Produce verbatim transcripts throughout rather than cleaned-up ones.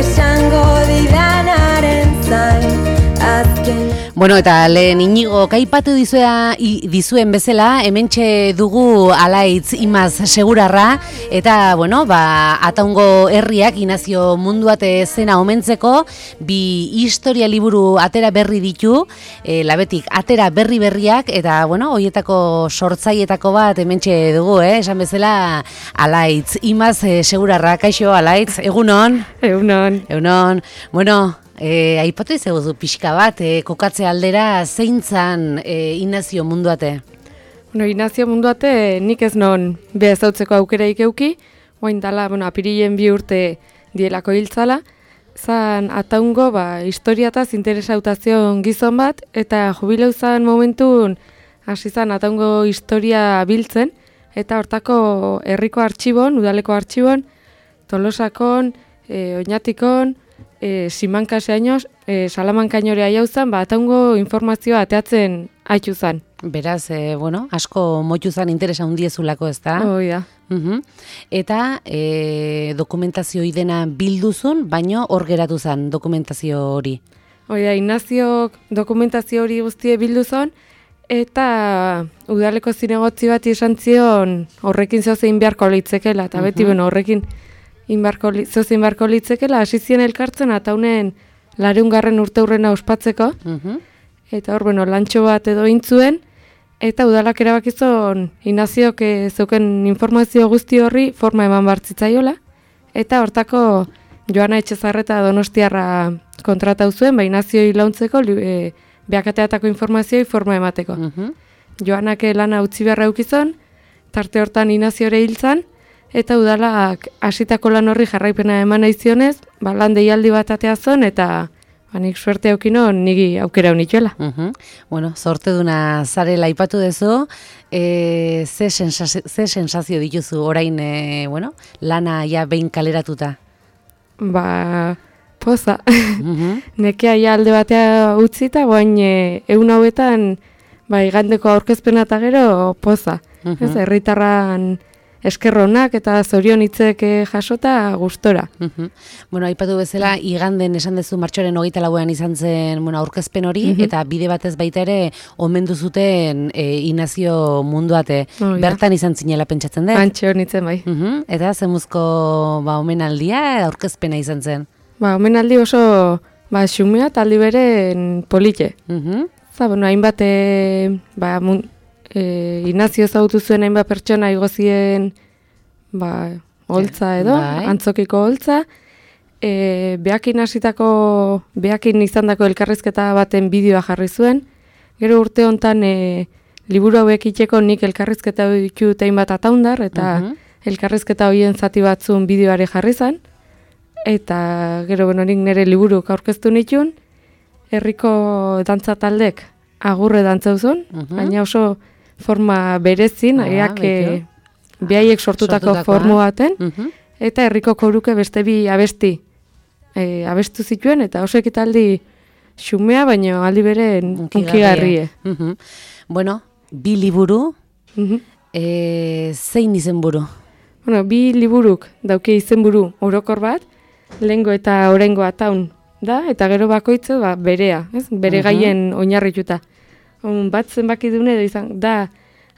esango didanaren zain azken. Bueno, eta lehen Inigo kaipatu dizuea, dizuen bezala, hementxe dugu Alaitz Imaz Segurarra, eta, bueno, ba, Ataungo herriak Inazio Munduate zena omentzeko, bi historia liburu atera berri ditu, e, labetik atera berri berriak, eta, bueno, hoietako sortzaietako bat hementxe dugu, eh? Esan bezala, Alaitz Imaz Segurarra. Kaixo, Alaitz, egunon? Egunon. Egunon. Bueno, E, aipatu izaguzu pixka bat, e, kokatze aldera zeintzan e, Inazio Munduate? Bueno, Inazio Munduate nik ez non behazautzeko aukeraik euki, oain dala, bueno, apirilen bi urte dielako hiltzala, zan Ataungo, ba, historiataz interesautazion gizon bat, eta jubileu zan momentun hasi zan Ataungo historia biltzen, eta hortako herriko artxibon, udaleko artxibon, Tolosakon, e, Oñatikon, E, simankaseainoz, e, salamankainorea jauzan, ba, Ataungo informazioa ateatzen haitu zan. Beraz, e, bueno, asko moitu zan interesa hundiezulako, ez da? Hoi da. Uhum. Eta e, dokumentazio idena bilduzun, baino hor geratu zan dokumentazio hori. Hoi da, Inaziok dokumentazio hori guztie bilduzon, eta udaleko zinegotzi bat izan zion horrekin zozein beharko litzekela, eta beti, bueno, horrekin zozein beharko litzekela, hasi zien elkartzen Ataunen lareungarren urte hurrena ospatzeko, uh-huh. Eta hor, bueno, lantxo bat edo intzuen, eta udalak erabakizon Inaziok zeuken informazio guzti horri forma eman bartzitzaiola, eta hortako Joana Etxezarreta Donostiarra kontratau zuen, ba Inazioi launtzeko, e, beakateatako informazioi forma emateko. Uh-huh. Joanak lana utzi beharra eukizon, tarte hortan Inaziore hiltzan, eta udalak hasitako lan horri jarraipena eman naizionez, ba, lan deialdi bat ateazon, eta ba, nik suerte aukino nigi aukera unituela. Uh-huh. Bueno, zorteduna zarela aipatu dezu, e, ze, sensazio, ze sensazio dituzu orain, e, bueno, lana ja behin kaleratuta? Ba, poza. Uh-huh. Nekea ja alde batea utzita, boain e, egun hauetan, ba, igandeko aurkezpena eta gero poza. Uh-huh. Ez, herritarran eskerronak eta zorion hitzek jasota gustora. Uh-huh. Bueno, aipatu bezala, iganden esan dezu martxoaren hogeita lauean izan zen, bueno, aurkezpen hori, uh-huh. Eta bide batez baita ere omendu zuten e, Inazio Munduate. Oh, bertan ja. Izan zinela pentsatzen dut? Antxe honitzen bai. Uh-huh. Eta zemuzko ba, omenaldia, aurkezpena izan zen? Ba, omenaldi oso ba, xumea eta aldi beren polite. Uh-huh. Za, bueno, hainbat e, ba, mun, E, Inazio ezagutu zuen hainbat pertsona igozien ba, holtza edo, bai. Antzokiko holtza, e, behakin hasitako, behakin izandako elkarrizketa baten bideoa jarri zuen, gero urte hontan e, liburu hauek itxeko nik elkarrizketa ditut hainbat ataundar, eta uh-huh. Elkarrizketa horien zati batzun bideoare jarri zen, eta gero bueno, nik nire liburuk aurkeztu nituen, herriko dantza taldek agurre dantzauzun, uh-huh. Baina oso forma berezin, ah, eak behaiek sortutako, sortutako formu baten, uh-huh. Eta herriko koruke beste bi abesti e, abestu zituen, eta oso ekitaldi xumea, baina aldi bere unkigarrie. Uh-huh. Bueno, bi liburu, uh-huh. e, zein izenburu? Bueno, bi liburuk dauke izenburu orokor bat, lehengo eta orengo Ataun da, eta gero bakoitze ba, berea, ez? Bere uh-huh. Gaien oinarrituta. Un bat zenbaki dune da izan, da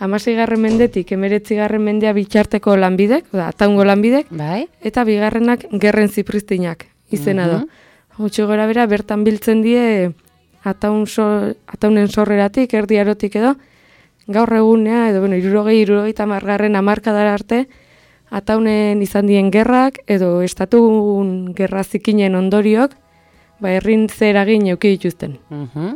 hamaseigarren mendetik emeretzigarren mendea bitxarteko lanbidek, da Ataungo lanbidek, bai. Eta bigarrenak Gerren Zipristinak izena uh-huh. da. Gutxi gora bera, bertan biltzen die Ataun so, Ataunen sorreratik, erdi arotik edo, gaur egunea, edo bueno, irurogei, irurogei tamargarren amarkadara arte, Ataunen izan dien gerrak, edo estatun gerra zikinen ondoriok, ba, herrin zeragin euki dituzten. Uh-huh.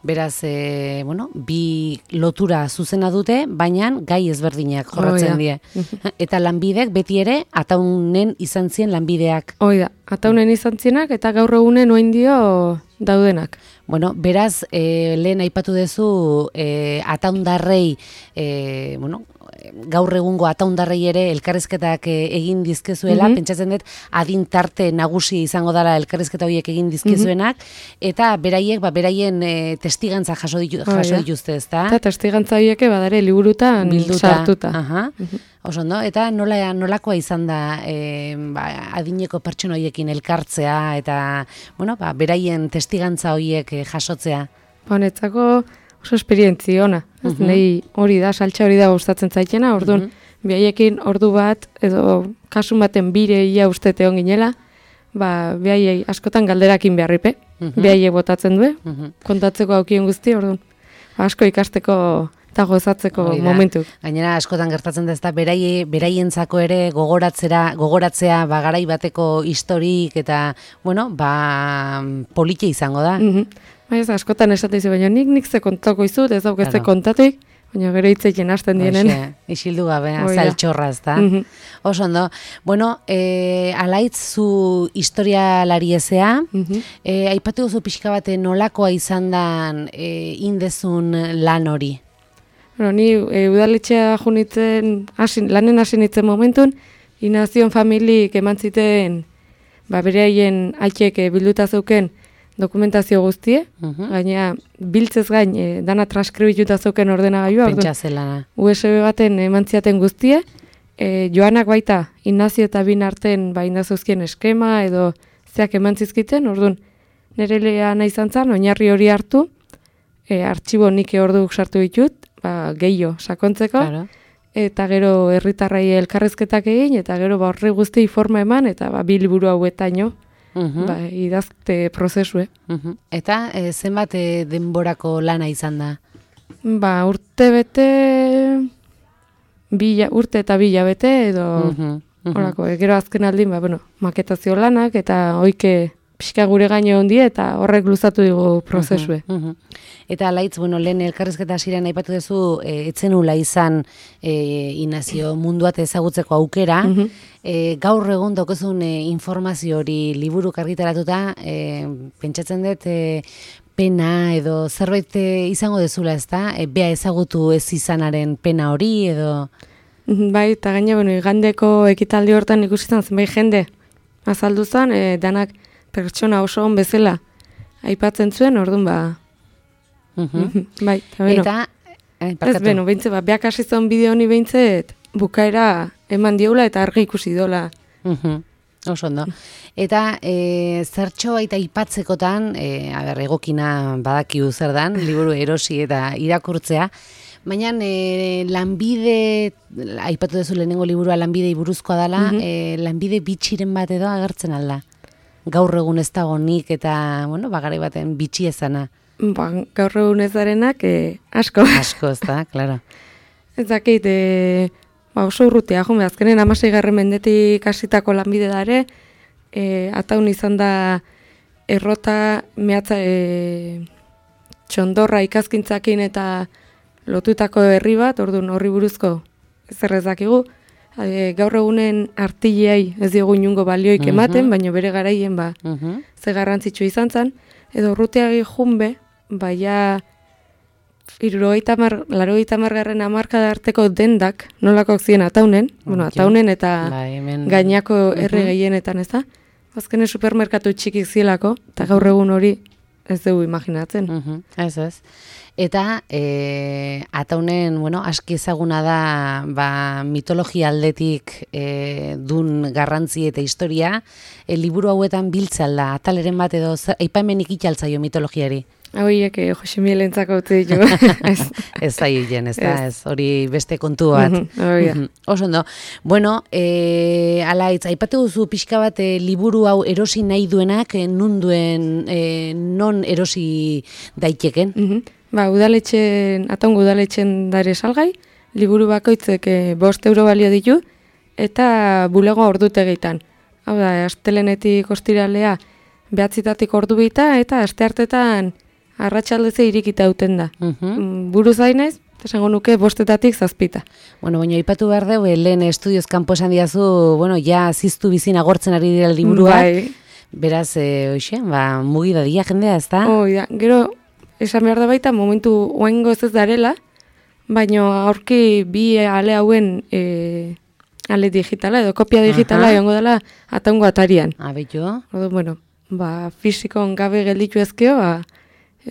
Beraz, e, bueno, bi lotura zuzena dute, baina gai ezberdinak jorratzen oh, die. Eta lanbidek beti ere Ataunen izan zien lanbideak. Hoi da, Ataunen izan zienak eta gaur egunen oin dio daudenak. Bueno, beraz, e, lehen aipatu duzu e, Ataundarrei, e, bueno, gaur egungo Ataundarrei ere elkarrizketak egin dizkezuela, mm-hmm. Pentsatzen dut adin tarte nagusi izango dela elkarrizketa horiek egin dizkezuenak, mm-hmm. Eta beraiek, ba, beraien e, testigantza jaso, ditu, jaso dituzte, ezta? Eta testigantza horiek badare liburutan bilduta. Sartuta. Aha. Mm-hmm. Oso ondo, eta nola, nolakoa izan da e, ba, adineko pertsona horiekin elkartzea eta, bueno, ba, beraien testigantza horiek e, jasotzea? Honetzako oso esperientzi ona. Uh -huh. Nei hori da, saltza hori da gustatzen zaitena, orduan, uh -huh. Bihaiekin ordu bat, edo kasun baten bire ia uste teon ginela, ba, bihaiei askotan galderakin beharripe, uh -huh. Bihaiei botatzen du, uh -huh. Kontatzeko aukien guzti, orduan, ba, asko ikasteko eta gozatzeko momentu. Gainera askotan gertatzen da, ez da, berai, beraientzako ere gogoratzera, gogoratzea ba, garai bateko historik eta, bueno, ba, polite izango da. Mm -hmm. Ba, ez, askotan esate izu, baina nik nik ze kontako izut, ez dauk ez ze kontatuik, baina gero hitzekin hasten dienen. Oixe, isildu gabe, zaltxorra, ez da. Mm -hmm. Oso ondo. Bueno, e, Alaitz, zu historialari ezea, mm -hmm. e, aipatu duzu pixka bate nolakoa izan dan e, indezun lan hori? Bueno, ni e, udaletxea junitzen, asin, lanen hasi nitzen momentun, Inazion familik eman ziten, ba, bereaien aitek e, bilduta zeuken dokumentazio guztie, uh -huh. Gaina biltzez gain, e, dana transkribituta zeuken ordenagailua. Pentsa zelana. U S B baten eman ziaten guztie, e, joanak baita, Inazio eta bin arten ba, indazuzkien eskema edo zeak eman zizkiten, orduan, nire lehea nahi zantzan, oinarri hori hartu, e, artxibo nik orduk sartu ditut, ba, gehiago sakontzeko, claro. Eta gero herritarrai elkarrezketak egin, eta gero ba, horri guzti forma eman, eta ba, bi liburu hauetaino, uh -huh. Ba, idazte prozesue. Uh -huh. Eta e, zenbat e, denborako lana izan da? Ba, urte bete, bila, urte eta bila bete, edo uh -huh. Uh -huh. Orako, e, gero azken aldin, ba, bueno, maketazio lanak, eta oike pixka gure gaino ondie, eta horrek luzatu digu prozesue. Uh -huh. Uh -huh. Eta Alaitz, bueno, lehen elkarrizketa hasieran aipatu duzu, e, etzenula izan e, Inazio munduat ezagutzeko aukera, uh -huh. e, gaur egun daukezun e, informazio hori liburuk argitaratuta, e, pentsatzen dut, e, pena edo zerbait e, izango dezula, ez da? E, bea ezagutu ez izanaren pena hori, edo... Bai, eta gaina, bueno, igandeko ekitaldi hortan ikusi zan zenbait jende azaldu zen, e, danak pertsona oso on bezala aipatzen zuen, orduan ba... Uh -huh. Bai, eta beno. Eta, eh, ez beno, behintze, ba, beak hasi zon bideo honi behintzet, bukaera eman diola eta argi ikusi dola. Uh -huh. Oso ondo. Eta e, zertxo baita aipatzekotan, e, aber, egokina badakiu zer dan, liburu erosi eta irakurtzea, baina e, lanbide, aipatu duzu lehenengo liburua lanbidei buruzkoa dela, uh -huh. e, lanbide bitxiren bat edo agertzen alda. Gaur egun ez dago nik eta, bueno, bagare baten bitxi ezana. Ba, gaur egun ez darenak, e, asko. Asko, ez da, klaro. Ez dakit, e, ba, oso urrutea, jome, azkenen amasei garren mendetik hasitako lanbide dare, e, ataun izan da errota, mehatza, e, txondorra ikazkintzakin eta lotutako herri bat, orduan horri buruzko zer ez dakigu, e, gaur egunen artilleai ez diogu inungo balioik ematen, uh -huh. baina bere garaien ba, uh -huh. ze garrantzitsu izan zen, edo urruteagi junbe, baina irurogeita mar, larogeita margarren amarkada arteko dendak, nolakoak ziren ataunen, okay. bueno, ataunen eta ba, hemen... gainako herri uh -huh. gehienetan, ez da? Azkenen supermerkatu txikik zielako, eta gaur egun hori ez dugu imaginatzen. Uh -huh. Ez ez. Eta e, ataunen, bueno, aski ezaguna da ba, mitologia aldetik e, dun garrantzi eta historia, e, liburu hauetan biltzalda, ataleren bat edo aipamenik itxaltzaio mitologiari. Hauiek, eh, Jose Mielentzako utzi ditugu. ez ez zaien, ez da, ez hori beste kontu bat. Uh -huh, uh -huh. Oso ondo. Bueno, e, Alaitz, aipatu duzu pixka bat e, liburu hau erosi nahi duenak, e, nun duen, e, non erosi daiteken? Uh -huh. Ba, udaletxen, ataungo udaletxen dare salgai, liburu bakoitzek e, bost euro balio ditu, eta bulego ordutegeitan. Hau da, astelenetik ostiralea behatzitatik ordu bita, eta asteartetan arratsaldeze irikita uten da. Uh -huh. Buruz dainez, esango nuke bostetatik zazpita. Bueno, baina ipatu behar dugu, lehen estudioz kanpo esan diazu, bueno, ja ziztu bizin agortzen ari dira liburuak. Bai. Beraz, e, oixe, ba, mugi da dia jendea, ez da? Hoi da, gero, esan behar da baita, momentu oengo ez ez darela, baina aurki bi ale hauen e, ale digitala, edo kopia digitala, egongo dela ataungo atarian. Abetu. Odo, bueno, ba, fizikon gabe gelditu ezkeo, ba,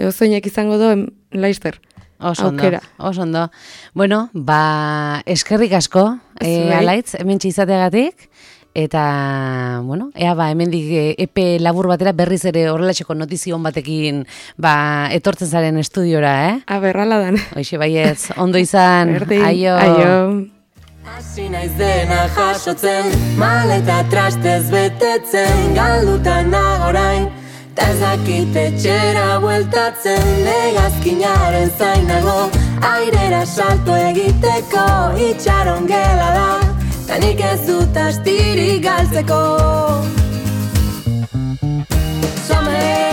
ozoinak izango do laizter. Oso ondo, oso ondo. Bueno, ba, eskerrik asko, e, Alaitz, hementxe izateagatik. Eta, bueno, ea ba, hemendik epe labur batera berriz ere horrelatseko notizion batekin ba, etortzen zaren estudiora, eh? A berrala dan. Hoxe baietz, ondo izan, Berdin, aio. aio. Hasi naiz dena jasotzen, maleta trastez betetzen, galduta nagorain, ta ez dakit etxera bueltatzen, hegazkinaren zainago, airera salto egiteko, itxaron gela da. Ta nik ez dut astirik galtzeko. Some